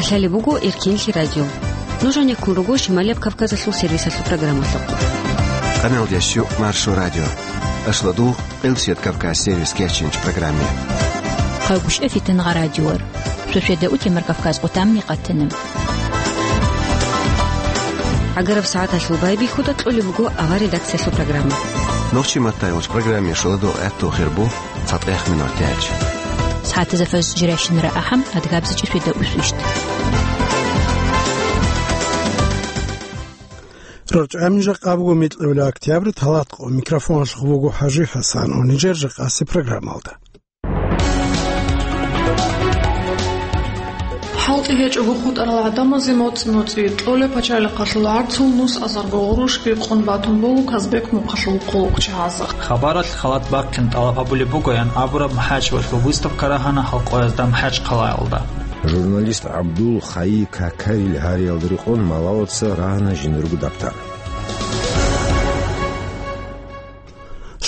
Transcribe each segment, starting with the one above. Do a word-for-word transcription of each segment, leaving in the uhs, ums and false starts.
Лъалеб буго Эркенлъи радио. Нуж гьанеккун руго Шималияб Кавказалъул сервисалъул программалъухъ. Къаналдящу Маршо радио. Ашладугъ, Къилсият Кавказ сервис кечинч программе. Хъагушев Фитангъа радиор. Шошеда утемар Кавказ къутамни къатана. ГӀагараб сагӀаталъул байбихьуда кьолеб буго авар редакциялъул программа. Нохчи маттайгъуч программе шоладо гӀатту хирбу. ЦатӀехъ минутач. СагӀатазда фаз жирайщинара ахӀам, адгабзичӀи шведа усвищт. РорчӀамин жакъа буго микьулев октябрь, талат къо микрофоналъухъ буго ХӀажи ХӀасан, унижер жакъаси программалда. ХӀалтӀи гьечӀого хутӀарал гӀадамазе моцӀ-моцӀи кьолеб пачалихъалъул гӀарцул нус азарго гъурущ бикъун батун буго Казбек мухъалъул хъулухъчагьазда. Хабаралъ халат бахъин тӀалаб гьабулеб бугоян абураб МахӀачевалъул выставка рагьана халкъоязда МахӀачхъалаялда. Журналист ГӀабдул Хайи Какарил гьариялда рекъон малалаца рагьана жинурго даптар.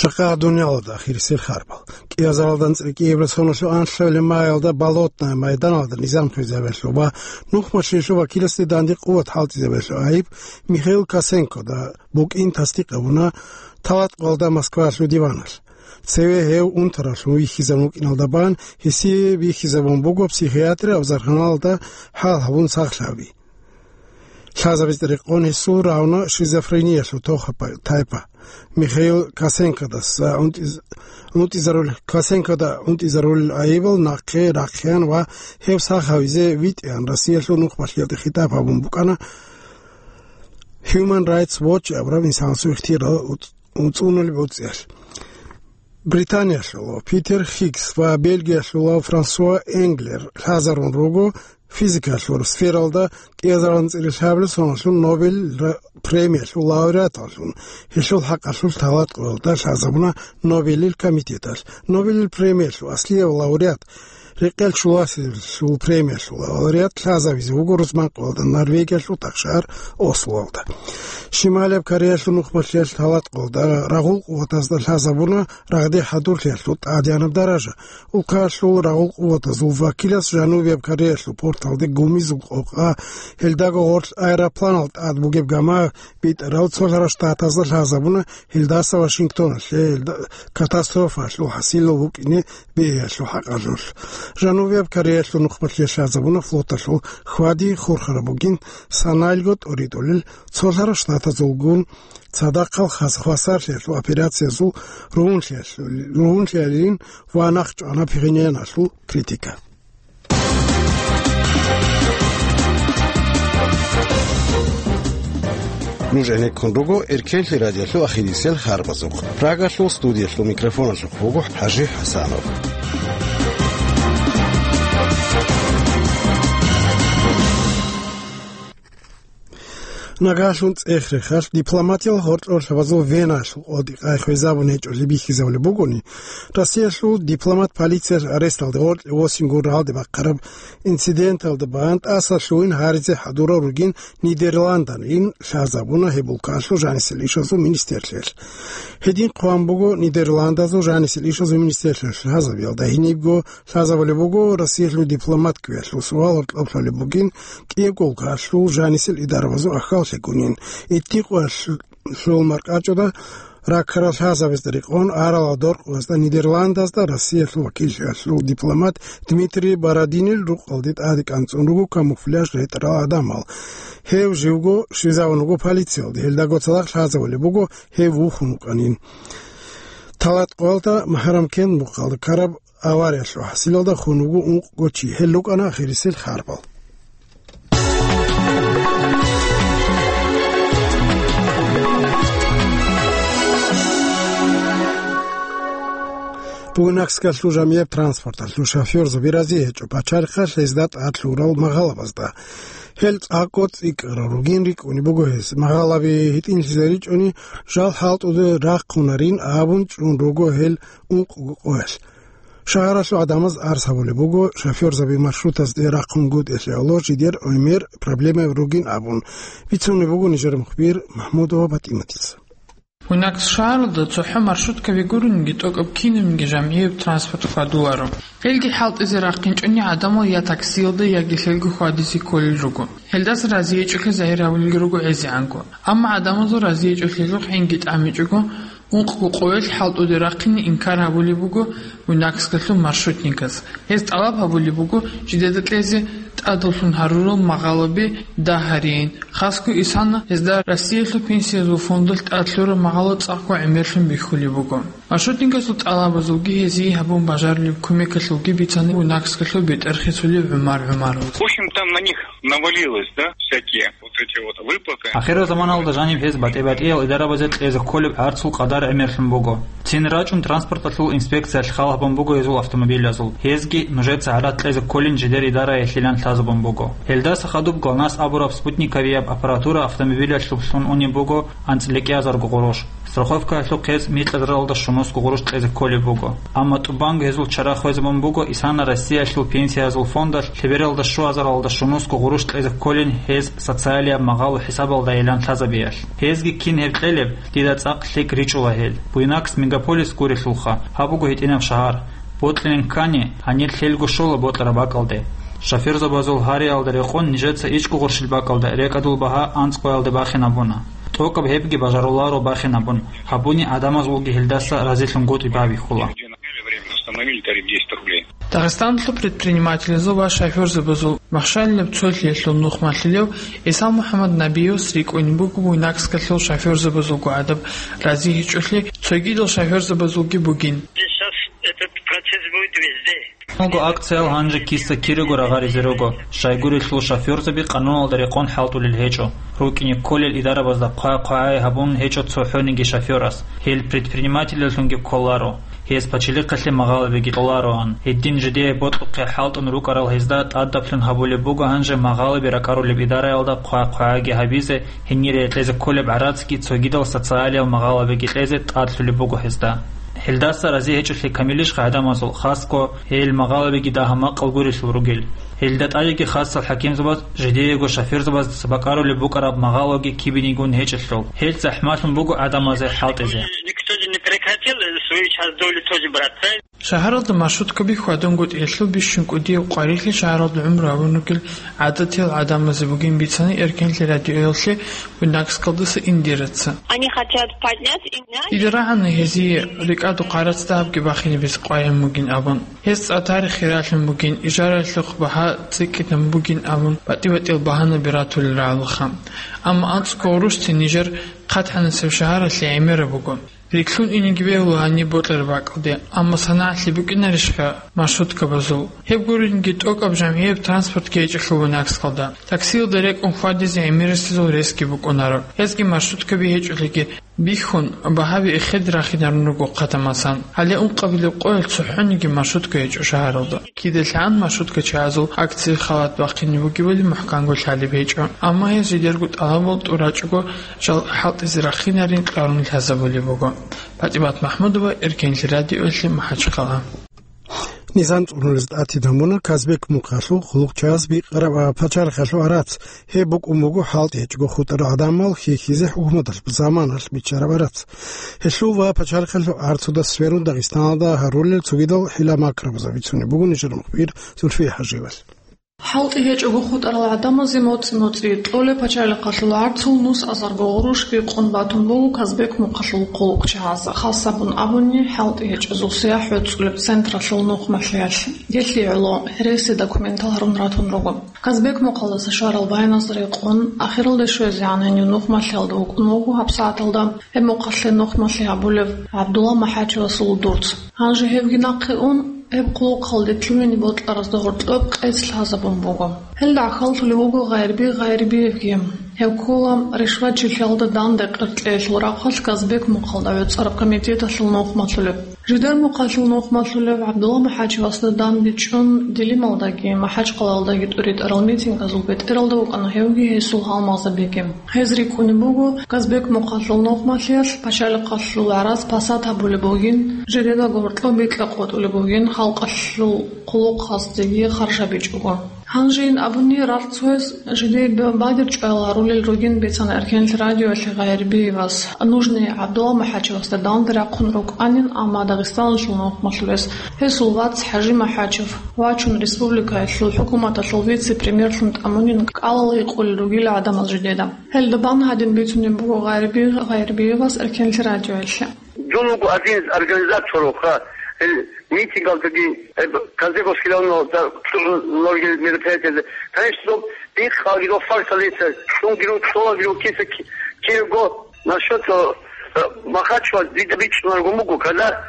Жакъа дуниялалда ахирисел харбал. КӀиазаралда анцӀила кӀиабилеб соналъул анлъабилеб маялда Болотное майданалда низам хвезабиялъул ва нухмалъиялъул вакиласде данде къуват хӀалтӀизабиялъул айиб Михаил Косенкода букӀин тасдикъ гьабуна талат къоялда Москваялъул диваналъ. Цеве гьев унтаралъув вихьизабун вукӀиналда бан гьесие бихьизабун буго психиатрия авзарханалда хӀал гьабун сахлъаби. Лъазабизе рекъон гьесул равна шизофрениялъул тоха-, тайпа. Михаил Косенкодас, а, унтӀиз-, унтӀизарул-, Косенкода унтӀизарулел айибал нахъе рахъеян ва гьев сах гьавизе витӀеян Россиялъул нухмалъиялде хитӀаб гьабун букӀана Human Rights Watch абураб инсанасул ихтияр уц-, уцӀунулеб уцӀиялъ. Британиялъулав Питер Хиггс ва Бельгиялъулав Франсуа Энглер лъазарун руго физикалъул сфералда кӀиазаралда анцӀила лъабабилеб соналъул Нобель ра-, премиялъул лауреаталлъун. Гьелъул хӀакъалъулъ талат къоялда лъазабуна Нобелил комитеталъ. Нобелил премиялъул аслияб лауреат, рекъел чуласеб премиялъул лауреат лъазабизе вуго рузман къоялда Норвегиялъул тахшагьар Ослоялда. Шималияб Кореялъул нухмалъиялъ талат къоялда рагъул къуватазда лъазабуна рагъде хӀадурлъиялъул тӀадегӀанаб даража. Улкаялъул рагъул къуватазул вакилас Жанубияб Кореялъул порталде гумизул къокъа, гьелдаго гъорлъ аэропланал тӀад бугеб гама битӀарал цолъарал штатазда лъазабуна гьелдаса Вашингтоналъе гьелда-, катастрофаялъул хӀасилал вукӀине бегьиялъул хӀакъалъулъ. Жанубияб Кореялъул нухмалъиялъ лъазабуна флоталъул хьвади хурхараб бугин саналго тӀоритӀулел цолъарал штатазулгун цадахъал хас-, хвасарлъиялъул операциязул ругьунлъиялъул-, ругьунлъиялилин ва нахъчӀвана пигьининалъул критика. Нуж гӀенеккун руго Эркенлъи радиолъул ахирисел харбазухъ. Прагалъул студиялъул микрофоналъухъ буго ХӀажи ХӀасанов. Нагагьлъун цӀех-рехалъ дипломатиял гьоркьор лъабазул Веналъул къоялде къай хвезабун гьечӀолъи бихьизабулеб бугони, Россиялъул дипломат полициялъ аресталде гъоркье восин гурралде бахъараб инциденталда бан тӀаса лъугьин гьаризе хӀадурал ругин Нидерландалин лъазабуна гьеб улкалъул жанисел ишазул министрлъиялъ. Гьедин хъван буго Нидерландазул жанисел ишазул министрлъиялъ лъазабиялда гьенибго лъазабулеб буго Россиялъул дипломат кквеялъул суал гьоркьоб лъолеб бугин, кӀиябго улкалъул жанисел идарабазул ахьаллъи гунин, итдикъоялъул маркӀачӀуда раккарал лъазабазда рекъон арала доркъуазда Нидерландазда Россиялъул вакиллъиялъул дипломат Дмитрий Бородинил рукъалде тӀаде кӀанцӀун руго камуфляж ретӀарал гӀадамал. Гьев живго щвезавун вуго полициялде, гьелдаго цадахъ лъазабулеб буго гьев вухун вукӀанин. Талат къоялда Махарамкент мухъалда ккараб авариялъул хӀасилалда хун вуго ункъго чи. Гьел рукӀана ахирисел харбал. Бугунакскалъул жамияб транспорталъул шофёрзаби рази гьечӀо пачалихъалъ гьезда тӀад лъурал магъалабазда. Гьел цӀакъго цӀикӀкӀарал ругин рикӀкӀунеб буго гьез. Магъалаби гьитӀинлъизе ричӀони, жал хӀалтӀуде рахъунарин абун чӀун руго гьел ункъго къоялъ. Шагьаралъул гӀадамаз арс гьабулеб буго, шофёрзаби маршрутазде рахъунгутӀиялъе гӀоло жидер гӀемер проблемаби ругин абун. Бицунеб буго нижер мухбир Махмудова ПатӀиматица. Буйнакск шагьаралда цохӀо маршруткаби гурониги, тӀокӀаб кинабниги жамгӀияб транспорт хьвадуларо. Гьелги хӀалтӀизе рахъинчӀони гӀадамал я таксиялда, яги лъелго хьвадизе кколел руго. Гьелдаса разиячӀолъи загьир гьабулелги руго гӀезегӀанго. Амма гӀадамазул разиячӀолъиялъухъ гӀинги тӀамичӀого, ункъго къоялъ хӀалтӀуде рахъине инкар гьабулеб буго Буйнакскалъул маршрутникас. Гьез тӀалаб гьабулеб буго жидеда кьезе тӀадаллъун гьарурал магъалаби дагь гьарейин. Хасго исана гьезда Россиялъул пенсиязул фондалъ тӀад лъураб магъало цӀакъго гӀемерлъун бихьулеб буго. Маршрутникасул тӀалабазулги гьезие гьабун бажарулеб кумекалъулги бицана Буйнакскалъул бетӀер хисулев ГӀумар ГӀумаровас. В общем, там на них навалилось, да, всякие вот эти вот выплаты. Ахирзаманалда жаниб гьез батӀи-батӀиял идарабазе кьезе кколеб гӀарцул къадар гӀемерлъун буго. Цин рачӀун транспорталъул инспекциялъ хал гьабун буго гьезул автомобилазул. Гьезги нужеца гӀарац кьезе кколин жидер идараялъилан лъазабун буго. Гьелдаса хадуб ГЛОНАСС абураб спутниковияб аппаратура автомобилалъуб лъун унеб буго анцӀила кӀиазарго гъурущ. Страховкаялъухъ гьез микьазаралда щунусго гъурущ кьезе кколеб буго. Амма тӀубанго гьезул чара хвезабун буго исана Россиялъул пенсиязул фондалъ лъебералда щуазаралда щунусго гъурущ кьезе кколин гьез социалияб магъало хӀисабалдайилан лъазабиялъ. Гьезги кин гьеб кьелеб, дида цӀакъ лъикӀ ричӀула гьел. Буйнакск мегаполис гурелъулха, гьаб буго гьитӀинаб шагьар. Бокьилин ккани, гьанир лъелго щола бокьараб бакӀалде. Шофёрзабазул гьариялда рекъон нижеца ичӀго гъурщил бакӀалда рекӀадул багьа анцӀ къоялде бахинабуна. ТӀокӀаб гьебги бажаруларо бахинабун, гьабуни гӀадамазулги гьелдаса разилъунгутӀи бабихьула. Дагъистаналъул предпринимателазул ва шофёрзабазул махщалилаб цолъиялъул нухмалъулев ГӀисал МухӀаммад Набиевас рикӀкӀунеб буго Буйнакскалъул шофёрзабазулго гӀадаб разигьичӀолъи, цогидал шофёрзабазулги бугин. Сейчас этот процесс будет везде. Гьанго акциял гьанже киса-кираго рагъаризе руго. Щайгурелъул шофёрзаби къануналда рекъон хӀалтӀулел гьечӀо. РукӀине кколел идарабазда хъвай-хъвагӀай гьабун гьечӀо цохӀониги шофёрас. Гьел предпринимателаллъунги кколаро. Гьез пачалихъалъе магъалабиги кьолароан. Гьедин жидее бокьухъе хӀалтӀун рукӀарал гьезда тӀадаблъун гьабулеб буго гьанже магъалаби ракӀарулеб идараялда хъвай-хъвагӀайги гьабизе, гьенире кьезе кколеб гӀарацги цогидал социалиял магъалабиги кьезе тӀадлъулеб буго гьезда. Гьелдаса рази гьечӀолъи камилищха гӀадамазул, хасго гьел магъалабиги дагьа-макъал гурелъул ругел? Гьелда тӀадеги хасал хӀакимзабаз жидеего шофёрзабаздаса бакӀарулеб букӀараб магъалаги кибинигун гьечӀелъул, гьел захӀмалъун буго гӀадамазе хӀалтӀизе. Никто же не прекратил свою часть доли тоже брать, правильно? Шагьаралда маршруткаби хьвадунгутӀиялъул бищун кӀудияб къварилъи шагьаралда гӀумру гьабун ругел гӀадатиял гӀадамазе бугин бицана Эркенлъи радиоялъе Буйнакскалдаса Индираца. Они хотят поднять и... Дида рагӀана гьезие рикӀадухъ гӀарац дагьабги бахинабизе къваригӀун бугин абун. Гьез цӀа тарихе ралъун бугин, ижаралъухъ багьа цӀикӀкӀинабун бугин абун, батӀи-батӀиял багьанаби ратулел рагӀулаха. Амма анцӀго гъурущ цин нижер хъатгӀанасеб шагьаралъе гӀемераб буго. Рикълъун инеги бегьула гьаниб бокьараб бакӀалде, амма санагӀалъи букӀинарищха маршруткабазул? Гьеб гуринги тӀокӀаб жамгӀияб транспортги гьечӀелъул Буйнакскалда. Таксиялда рекӀун хьвадизе гӀемерисезул ресги букӀунаро. Гьезги маршруткаби гьечӀолъиги бихьун, багьаби эхеде рахинарун руго хъатамасан. Гьале ункъабилеб къоялъ цохӀониги маршрутка гьечӀо шагьаралда. КидалъагӀан маршруткачагӀазул акцияе халат бахъине бугебали мухӀканго лъалеб гьечӀо, амма гьез жидерго тӀалабал тӀурачӀого жал хӀалтӀизе рахинарин кьарун лъазабулеб буго. ПатӀимат МахӀмудова, Эркенлъи радиоялъе, МахӀачхъала. Низам цӀунулез тӀатидамуна Казбек мухъалъул хъулухъчагьаз бикъараб пачалихъалъул гӀарац. Гьеб букӀун буго хӀалтӀи гьечӀого хутӀарал гӀадамал хьихьизе хӀукуматалъ заманалъ биччараб гӀарац. Гьелъул ва пачалихъалъул гӀарцудас сверун Дагъистаналда гьарулел цогидал хӀила-макрабазда бицунеб буго нижер мухбир Зульфия ХӀажиевалъ. ХӀалтӀи гьечӀого хутӀарал гӀадамазе моцӀи-моцӀи кьолеб пачалихъалъул гӀарцул нусазарго гъурущ бикъун батун буго Казбек мухъалъул хъулухъчагьаз, хасабун абуни, хӀалтӀи гьечӀезул сияхӀ гӀуцӀулеб централъул нухмалъиялъ. Гьелъие гӀоло гьереси документал гьарун ратун руго. Казбек мухъалдаса щварал байназда рекъон, ахиралде щвезегӀан гьенив нухмалъиялда вукӀун вуго гьабсагӀаталда гьеб мухъалъе нухмалъи гьабулев ГӀабдулла МахӀачевасул дурц. Гьанже гьевги нахъе ун, гьеб хъулухъалде лъугьине бокьаразда гьоркьоб къец лъазабун буго. Гьелда гӀахьаллъулев вуго Гъайрби Гъайрбиевги. Гьев ккола ришвачилъиялда данде къеркьеялъул рахъалъ Казбек мухъалда гӀуцӀараб комитеталъул нухмалъулев. Жидер мухъалъул нухмалъулев ГӀабдулла МахӀачевасда данде чӀун, Дилималдаги МахӀачхъалаялдаги тӀуритӀарал митингалъул бетӀералда вукӀана гьевги гьесул гьалмагъзабиги. Гьез рикӀкӀунеб буго, Казбек мухъалъул нухмалъиялъ пачалихъалъул гӀарац пасат гьабулеб бугин, жидеда гьоркьоб бикьа къотӀулеб бугин, халкъалъул хъулухъаздеги харж гьабичӀого. Гьанжейин абуни, рагъ цояс жидее бадиб чӀваялъ гьарулел ругин бицана Эркенлъи радиоялъе Гъайрбиевас. Нужный ГӀабдулла МухӀачевасда данде рахъун рукӀанин, амма Дагъистаналъул нухмалъулес гьесул вац ХӀажи МухӀачев вачун, республикаялъул хӀукуматалъул вице-премьерлъун тӀамунин кӀалал гьикъулел ругила гӀадамал жидеда. Гьелда бан гьадин бицунеб буго Гъайрби-, Гъайрбиевас Эркенлъи радиоялъе. Дун вуго один из организаторов, ха, э, митингалдаги, э, Казбековский районалда цӀугӀун лоргел мероприятиялда. Конечно, доб бихъалги доб факталица, цӀунгиру, цӀолагиру киса ки-, кирго насчет, э, Махачева дида бичӀчӀунарго буго, когда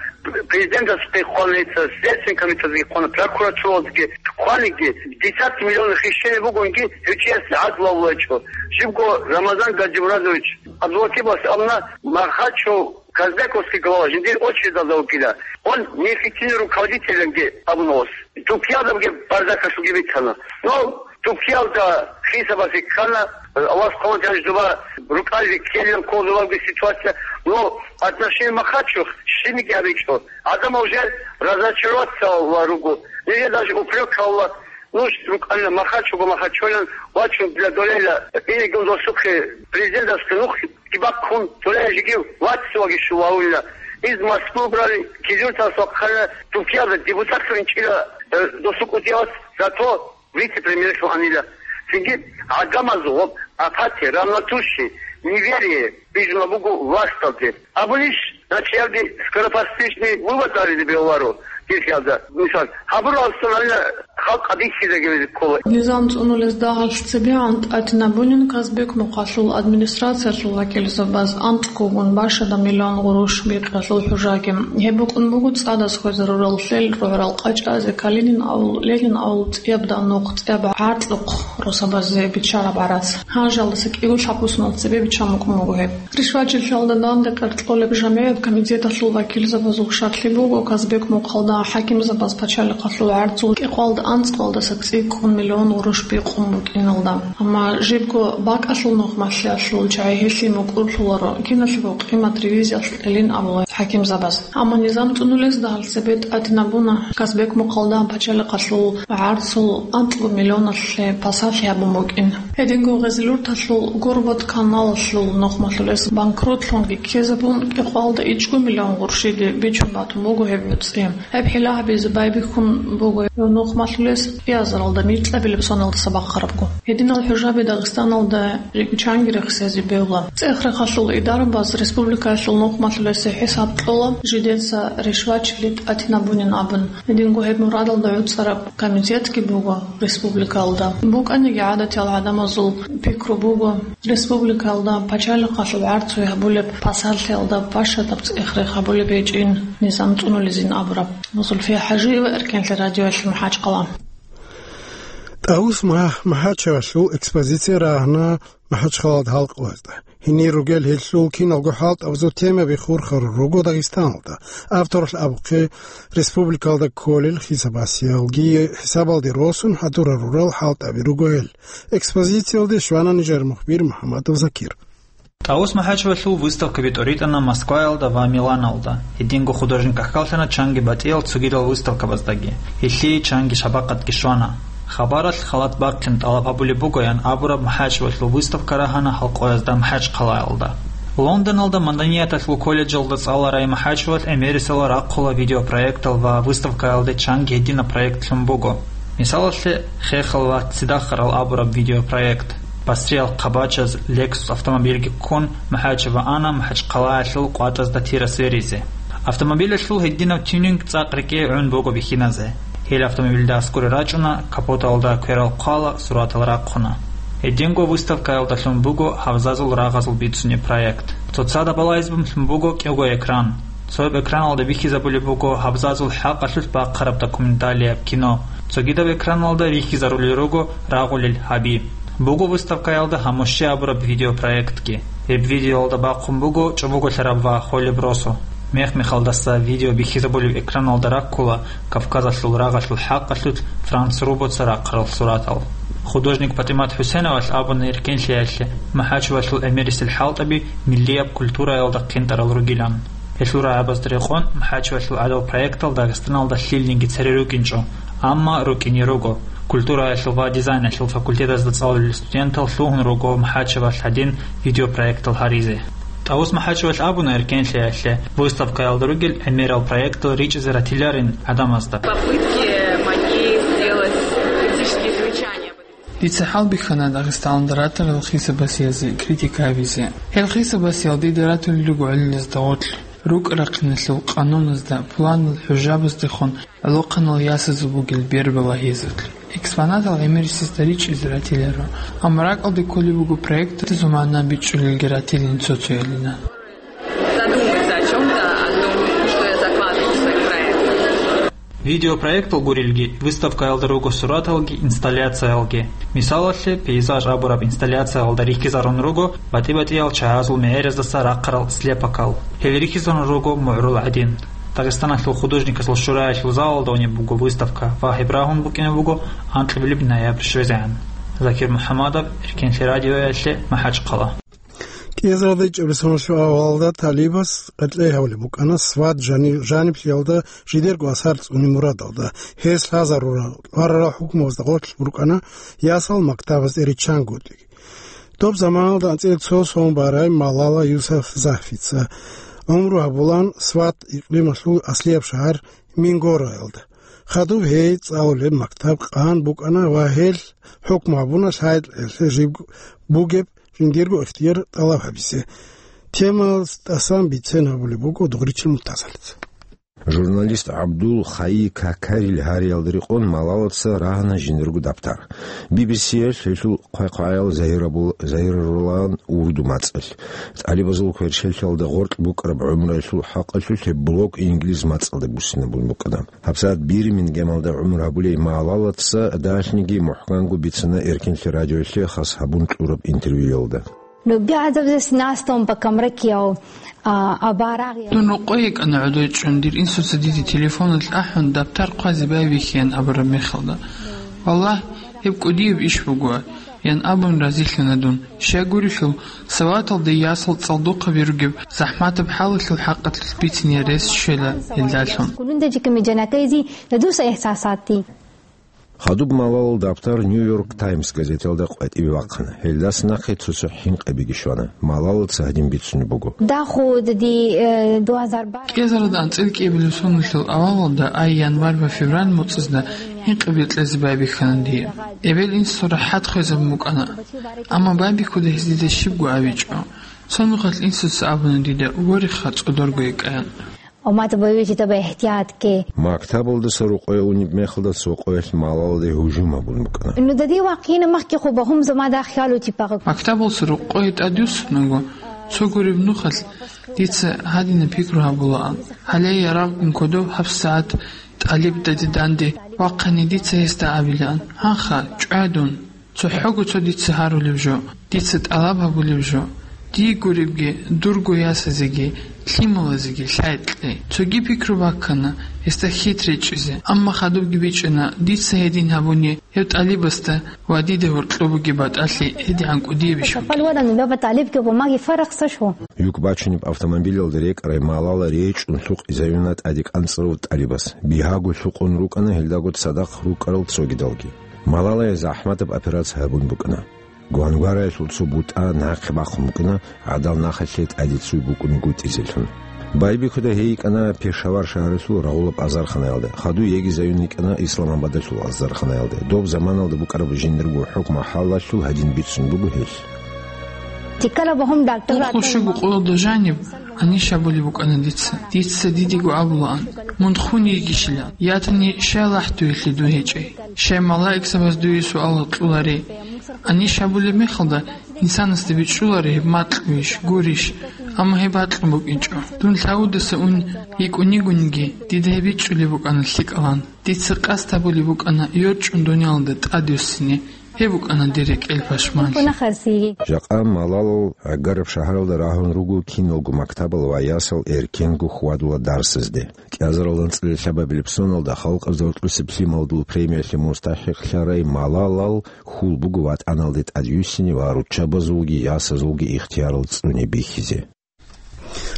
президентас хъваница, Следственный комитетги хъвана, прокуратуралги хъваниги, десятки миллионов хищение бугонги, гьев чияс гӀадлу гьавулечӀо. Жибго Рамазан Гаджимурадович Абдулатипас абуна, Махачев Казбековский глава жиндир очередалда вукӀила. Он неэффективный руководитель абуна ос. Тупиялдаги бардакалъуги бицана. Но Тупиялда хисабазе ккана, Аллагьас хъван жанжуба рукӀалги ккелин кколзуларги ситуация. Но отношение Махачев щибниги гьабичӀо. Адам уже разочароваться ва руго. Или даже упрек гьавула. Ну, рукӀана Махачевго Махачевлъан вачун для долейла, инегун досухъе президентасда нух кибаккун, долей жиги вацлъуги шувавулла. Из Москва брали, кизуртас вахъана, Туркиялда депутатлъун чӀила, э, досу кӀудиялас, зато вице-премьерлъун анила. Цинги гӀадамазул гъоб апатия, равнодушие, неверие бижуна буго власталде. Абунищ, начиялде скоропостижный вывод аризе бегьуларо, дихьалда, мисал, гьабуралсан гьанна халкъ абихьизеги ккола. Низам цӀунулез дагьалъ цебегӀан тӀатинабунин Казбек мухъалъул администрациялъул вакилзабаз анкьгогун башада миллион гъурущ бикъиялъул хӀужаги. Гьеб букӀун буго цӀадаз хвезарурал лъел рогӀрал къачӀазе Калинин авул, Ленин авул цӀияб данухъ, цӀияб гӀарцӀухъ росабазе биччараб гӀарац. Гьанжалдаса кӀиго лъабусунал цебе биччан букӀун буго гьеб. Ришвачилъалда данде къеркьолеб жамгӀият комитеталъул вакилзабазул шартлъи буго, Казбек мухъалда хӀакимзабаз пачалихъалъул гӀарцул кӀикъоялда анцӀгоялдаса цӀикӀкӀун миллион гъурущ бикъун букӀиналда. Амма жибго бакӀалъул нухмалъиялъул чагӀи гьелъие мукӀурлъуларо, киналъего къимат ревизиялъ кьелин абула хӀакимзабаз. Амма низам цӀунулез дагьалъ цебе тӀатинабуна Казбек мухъалда пачалихъалъул гӀарцул анцӀго миллионалъе пасалъи гьабун букӀин. Гьединго Гъезлъурталъул Горводоканалалъул нухмалъулес банкротлъунги ккезабун, кӀикъоялда ичӀго миллион гъурщиде бичун батун буго гьеб нуцӀи. Гьеб хӀила гьабизе байбихьун буго гьев нухмалъулес кӀиазаралда нилъабилеб соналдаса бахъарабго. Гьединал хӀужаби Дагъистаналда чанги рехсезе бегьула. ЦӀех-рехалъул идарабаз республикаялъул нухмалъулесе хӀисаб кьола, жидеца ришвачили тӀатинабунин абун. Гьединго гьеб мурадалда гӀуцӀараб комитетги буго республикалда. БукӀаниги гӀадатиял гӀадамазул пикру буго, республикалда пачалихъалъул гӀарцуе гьабулеб пасалъиялда башадаб цӀех-рех гьабулеб гьечӀин низам цӀунулезин абураб. Зульфия ХӀажиева, Эркенлъи радиоялъ, МахӀачхъала. ТӀавус Мах-, МахӀачевалъул экспозиция рагьана МахӀачхъалалда гьалкъуязда. Гьенир ругел гьелъул киналго хӀалтӀабазул темаби хурхарал руго Дагъистаналда. Авторалъ абухъе, республикалда кколел хисабасиялги хӀисабалде росун хӀадурал рурал хӀалтӀаби руго гьел. Экспозициялде щвана нижер мухбир МухӀаммадов Закир. ТӀавус МахӀачевалъул выставкаби тӀоритӀана Москваялда ва Миланалда. Гьединго художник ккалъана чанги батӀиял цогидал выставкабаздаги. Гьелъие чанги шабакъатги щвана. Хабаралъ халат бахъин тӀалаб гьабулеб бугоян абураб МахӀачевалъул выставка рагьана гьалкъоязда МахӀачхъалаялда. Лондоналда маданияталъул колледжалда цӀаларай МахӀачевалъ гӀемерисела рахъула видеопроектал ва выставкаялде чанги гьединаб проектлъун буго. Мисалалъе, «Хехал ва цидахарал» абураб видеопроект. Басриял хъабачаз Lexus автомобильги ккун, МахӀачева ана МахӀачхъалаялъул къватӀазда тира сверизе. Автомобилалъул гьединаб тюнинг цӀакъ рекӀее гӀун буго бихьиназе. Гьел автомобилда аскӀоре рачӀуна, капоталда кверал хъвала, суратал рахъуна. Гьединго выставкаялдалъун буго гьабзазул рагъазул бицунеб проект. Цоцазда балагьизабунлъун буго кӀиго экран. Цояб экраналда бихьизабулеб буго гьабзазул хӀакъалъулъ бахъараб документалияб кино. Цогидаб экраналда бихьизарулел руго рагъулел гьаби. Буго выставкаялда «Гьамущи» абураб видеопроектги. Гьеб видеоялда бахъун буго чӀобоголъараб ва холеб росу. Мех-мехалдаса видео бихьизабулеб экраналда раккула Кавказалъул рагъалъул хӀакъалъулъ Франц Рубоца рахъарал суратал. Художник ПатӀимат ХӀусеновалъ абуна Эркенлъиялъе, МахӀачевалъул гӀемерисел хӀалтӀаби миллияб культураялда хъинтӀарал ругилан. Гьелъул рагӀабазда рекъон МахӀачевалъул гӀадал проектал Дагъистаналда лъилниги цере рукӀинчӀо, амма рукӀине руго. Культураялъул ва дизайналъул факультетазда цӀалулел студентал лъугьун руго МахӀачевалъ гьадин видеопроектал гьаризе. ТӀавус МахӀачевалъ абуна эркенлъиялъе, выставкаялда ругел гӀемерал проектал ричӀизе ратиларин гӀадамазда. Попытки мои сделать критические замечания. Дица хӀалбихьана Дагъистаналда ратарал хисабасиязе, критика гьабизе. Гьел хисабасиял дида ратулел руго гӀолилазда гъорлъ, рукӀа-рахъиналъул къануназда, пуланал хӀужабаздехун гӀолохъанал ясазул бугел бербалагьизулъ. Экспонатал гӀемерисезда ричӀизе ратиларо, амма ракӀалде кколеб буго проектазул магӀна бичӀчӀулелги ратилин цо-цоялина. Задуматься о чём-то, о том, что я закладываю в свои проекты. Видеопроектал гурелги, выставкаялда руго сураталги, инсталляциялги. Мисалалъе, пейзаж абураб инсталляциялда рихьизарун руго батӀи-батӀиял чагӀазул мегӀераздаса рахъарал слепокал. Гьел рихьизарун руго мугӀрул гӀадин. Дагъистаналъул художниказул шураялъул залалда унеб буго выставка ва гьеб рагьун букӀине буго анкьабилеб ноябрь щвезегӀан. Закир МухӀаммадов, Эркенлъи радиоялъе, МахӀачхъала. КӀиазарда ичӀабилеб соналъул авалалда ТӀалибас къеркьей гьабулеб букӀана Сват жани-, жаниблъиялда жидерго асар цӀунеб мурадалда. Гьес лъазарурал, лъварарал хӀукмуязда гъорлъ букӀана ясал мактабазде риччангутӀи. Доб заманалда анцӀила цо сон барай Малала Юсуфзахица гӀумру гьабулаан Сват икълималъул аслияб шагьар Мингораялда. Хадуб гьей цӀалулеб мактаб къан букӀана ва гьел хӀукму гьабуна лъай-лъай жиб бугеб жиндирго ихтияр тӀалаб гьабизе. Темаялдасан бицен гьабулеб буго Дугъричил Муртазалица. Журналист ГӀабдул Хайи Какарил гьариялда рекъон Малалаца рагьана жиндирго дабтар. Би-би-сиялъ гьелъул хъвай-хъваял загьирабул-, загьирарулаан урду мацӀалъ. ТӀалибазул кверщелъалда гъоркь букӀараб гӀумруялъул хӀакъалъулъ гьеб блог инглиз мацӀалда буссинабун букӀана. ГьабсагӀат Бирмингемалда гӀумру гьабулей Малалаца дагьалъниги мухӀканго бицана Эркенлъи радиоялъе хас гьабун кьураб интервьюялда. Ну, би гӀадаб зес настон ба камракияв, а, абарагъ я. Дун рокъой йикӀана гӀодой чӀун, дир инсуца диде телефоналъ ахӀун, дабтар хъвазе байбихьеян абураб мехалда. Валлагь, гьеб кӀудияб иш буго, ян абун разилъана дун. Щай гурелъул, Саваталда ясал цӀалдохъаби ругеб захӀматаб хӀалалъул хӀакъалъулъ бицине рес щвела гьелдалъун. Кулунда жиками жанакайзи, я дуса ихсасати. Хадуб Малалал дабтар Нью-Йорк Таймс газеталда къватӀибе вахъана. Гьелдаса нахъе цо-цо хӀинкъабиги щвана. Малалаца гьадин бицунеб буго. Даху ди, э, дуазар бар. КӀиазарда анцӀила кӀиабилеб соналъул авалалда, ай январь ва февраль муцӀазда хӀинкъаби кьезе байбихьана дие. Эбел-инсул рахӀат хвезабун букӀана. Амма байбихьуда гьез дида щибго абичӀо. Цо нухалъ инсуца абуна дида, вореха, цӀодорго йикӀаян. Ва ма табаюти таба ихтиятки. Мактабалдаса рукъое унеб мехалда цо къоялъ Малалде гьужум гьабун букӀана. Ну дади вахъина махки хъуба гьум зама дахъалу типагъ. Мактабалса рукъое тӀадюссунаго, цо гуреб нухалъ дица гьадина пикру гьабулаан. Гьале ярагъгун кодов гьабсагӀат тӀалиб даде данде вахъани дица гьесда абилаан: «Гьанха, чӀвай дун». ЦохӀого цо дица гьарулев жо, дица тӀалаб гьабулев жо, дие гуребги, дурго ясазеги, лъималазеги лъай кье. Цоги пикру баккана гьесда хит речӀчӀизе, амма хадубги бичӀчӀана, дица гьедин гьабуни гьев тӀалибасда ва дида гьоркьоб бугеб батӀалъи гьедигӀан кӀудиябищ бугеб. Юк бачунеб автомобилалда рекӀарай Малала речӀчӀун лъукъизаюна тӀаде кӀанцӀарав тӀалибас. Бигьаго лъукъун рукӀана гьелдаго цадахъ рукӀарал цогидалги. Малалае захӀматаб операция гьабун букӀана. Гвангвараялъул цо бутӀа нахъе бахъун букӀана, гӀадал нахалъе тӀаде цуй букӀунегутӀизелъун. Байбихьуда гьей йикӀана Пешавар шагьаралъул рагъулаб азарханаялда, хаду егизаюн йикӀана Исламабадалъул азарханаялда. Доб заманалда букӀараб жиндирго хӀукму хӀалалъул гьадин бицун буго гьелъ. Тиккала багьун дагтар. Ункъо щуго къоялда жаниб, Аниш абулеб букӀана дица. Дица дидего абулаан: «Мун хун йигищилан, ятани щай лахӀдуелъе дун гьечӀей? Щай малаикзабаз дуе суал кьоларей?» Аниш абулеб мехалда, инсанасда бичӀчӀуларо гьеб макьуйищ, гурищ, амма гьеб бакьун букӀинчӀо. Дун лъавудаса ун йикӀунигониги, дида гьеб бичӀчӀулеб букӀана лъикӀалан. Дица къасд гьабулеб букӀана йорчӀун дуниялалда тӀадвуссине. Гьеб букӀана дир рекӀел пашманлъи. Жакъа Малалал гӀагараб шагьаралда рагьун руго киналго мактабал ва ясал эркенго хьвадула дарсазде. КӀиазаралда анцӀила лъабабилеб соналда халкъалъе гьоркьосеб лъималдул премиялъе мустахӀикълъарай Малалал хьул буго ватӀаналде тӀадвуссине ва руччабазулги ясазулги ихтиярал цӀуне бихьизе.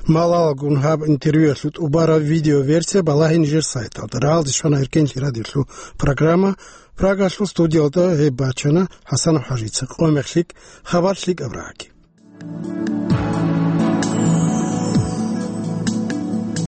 Малалгун гьаб интервьюялъул тӀубараб видеоверсия балагье нижер сайталда. Рагьалде щвана Эркенлъи радиолъул программа. Прагалъул студиялда гьеб бачана ХӀасан ХӀажица. Къо мех лъикӀ, хабар лъикӀаб рагӀаги.